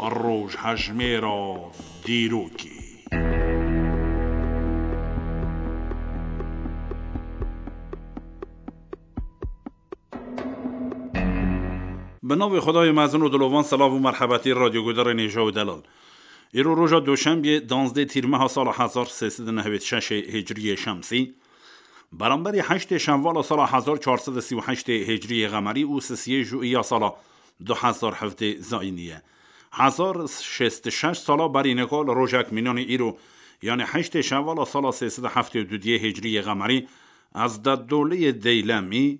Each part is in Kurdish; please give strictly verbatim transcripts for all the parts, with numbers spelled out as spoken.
Rojhejmêra dîrokê. Bi navê Xwedayê mezin û dilovan, silav û merhebetî radyoguhdarên hêja û delal. Îro roja Doşembiyê, danzdê Tîrmeha sala hezar sê sed û nehwêd şeş hicriyê şemsî, beramberî heştê Şenvala sala hezar çar sed û sî û heştê hicriyê qemerî û sisiyê Jûiya sala du hezar hevdê zayînî ye. Hezar şêst û şeş sala berî nika li rojek mînanê îro, yanî heştê Şenvala sala sê sed û heftê û duyê hicriyê qemerî, Ezdetdoleyê Deylemî,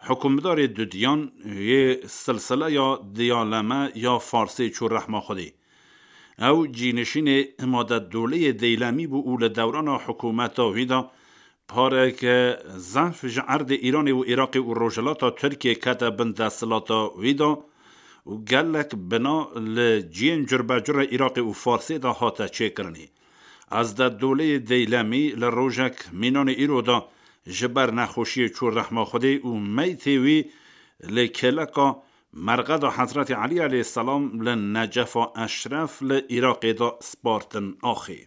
hukimdarê dudiyan yê silsileya Diyaleme ya Farsê çû rehma Xwedê. Ew cînişînê Îmadetdoleyê Deylemî bû û li dewrana hikûmeta wî de pareke zehf ji erdê Îranê û Iraqê û rojhilata Tirkiyê kete bin desthilata wî de û gelek bina li cihên curbecurê Iraqê û Farsê de hate çêkirinê. Ezdetdoleyê Deylemî li rojek mînanê îro de ji ber nexweşiyê çû rehma Xwedê û meytê wî li kêleka Merqeda Hezretî Elî aleyhisselam li Necefa Eşref li Iraqê de spartin axê.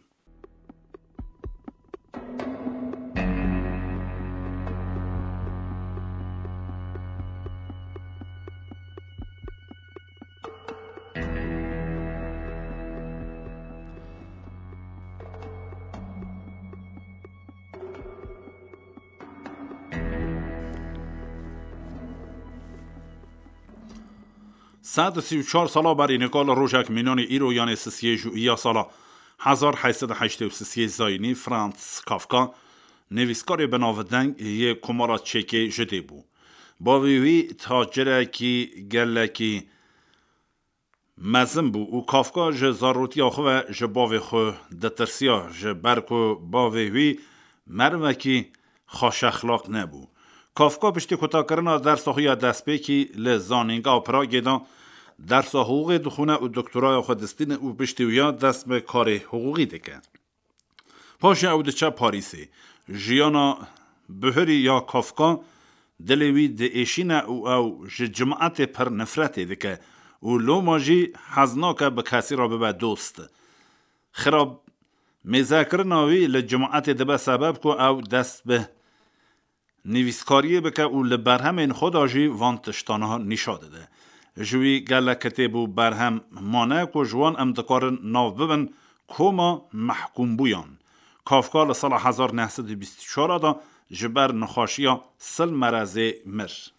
Sed û sî û çar sala berî nika li rojek mînanê îro, yanê sisiyê Jûiya sala hezar heyt sed û heştê û sisiyê zayînî, Franz Kafka, nivîskarê binavdeng yê Komara Çekê ji dê bû. Bavê wî tacirekî gelekî mezin bû û Kafka ji zarotiya xwe ve ji bavê xwe ditirsiya, ji ber ku bavê wî merivekî xweşexlaq nebû. Kafka piştî kutakirina dersa xwe ya destpêkî li Zanîngeha Pragê de dersa hiqûqê dixwîne û doktoraya xwe distîne û piştî wiya dest bi karê hiqûqî dike. Paşê ew diçe Parîsê. Jiyana bihurî ya Kafka dilê wî diêşîne û ew ji cimatê pir nifretê dike û loma jî hez nake bi kesî re bibe dost. Xirab mêzekirina wî li cimatê dibe sebeb ku ew dest bi nivîskariyê bike û li berhemên xwe de jî van tiştana nîşa dide. Ji wî gelek kitêb û berhem mane ku ji wan em dikarin nav bibin koma mehkûmbûyan. Kafka li sala hezar neh sed û bîst û çar de ji ber nexweşiya sil merezê mir.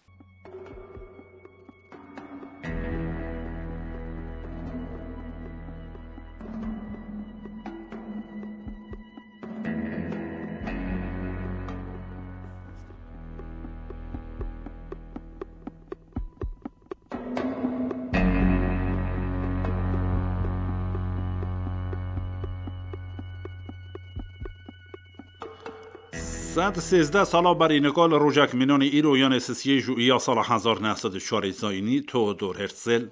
Sed sêzdeh sala berî nika li rojek mînanê îro, yanê sisiyê Jûiya sala hezar neh sed û çarê zayînî, Theodor Herzl,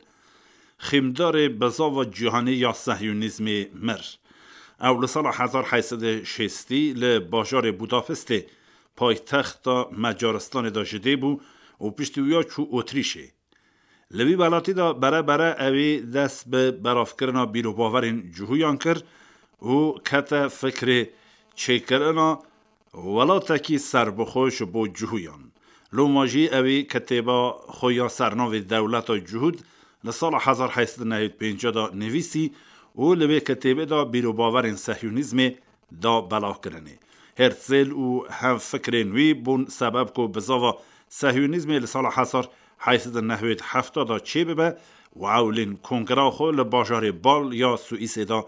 xîmdarê bizava cîhanî ya sehyûnîzmê, mir. Ew li sala hezar heyt sed û şêstî li bajarê Budapestê, paytexta Macaristanê de ji dê bû û piştî wiya çû Otrîşê. Li vî welatî de bere bere ewî dest bi belavkirina bîr û bawerên cihûyan kir û kete fikrê çêkirina welatekî serbixwe ji bo cihûyan. Loma jî ewî kitêba xwe ya sernavê Dewleta Cihûd li sala hezar heyt sed û nehwêd pêncî de nivîsî û li wê kitêbê de bîr û bawerên sehyûnîzmê da belavkirinê. Herzl û hevfikrên wî bûn sebeb ku bizava sehyûnîzmê li sala hezar heyt sed û nehwêd hefta de çêbibe û ewilîn kongra xwe li bajarê Bal ya Swîsê de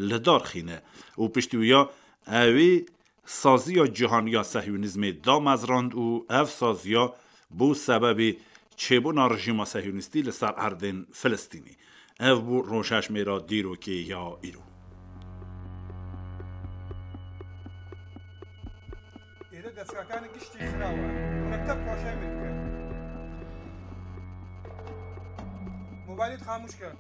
li dar xîne û piştî wiya ewî saziya cîhanî ya sehyûnîzmê damezrand û ev saziya bû sebebê çêbûna rejîma sehyûnîstî li ser erdên Filistînê. Ev bû rojhejmêra dîrokê ya îro. Êre destgahkanê giştî xiraw e. Mekteb xweşe min dike. Mobaylê xamûş ke.